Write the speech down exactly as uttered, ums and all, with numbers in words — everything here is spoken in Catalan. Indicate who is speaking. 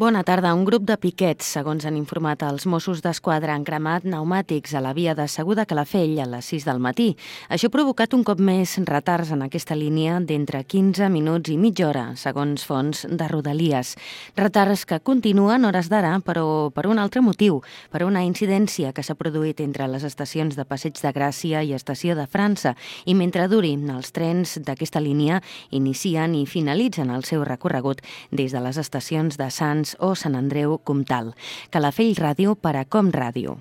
Speaker 1: Bona tarda. Un grup de piquets, segons han informat els Mossos d'Esquadra, han cremat pneumàtics a la via de Segur de Calafell a les sis del matí. Això ha provocat un cop més retards en aquesta línia d'entre quinze minuts i mitja hora, segons fonts de Rodalies. Retards que continuen hores d'ara, però per un altre motiu, per una incidència que s'ha produït entre les estacions de Passeig de Gràcia i Estació de França, i mentre durin, els trens d'aquesta línia inicien i finalitzen el seu recorregut des de les estacions de Sants o Sant Andreu Comtal. Calafell Ràdio per a Com Ràdio.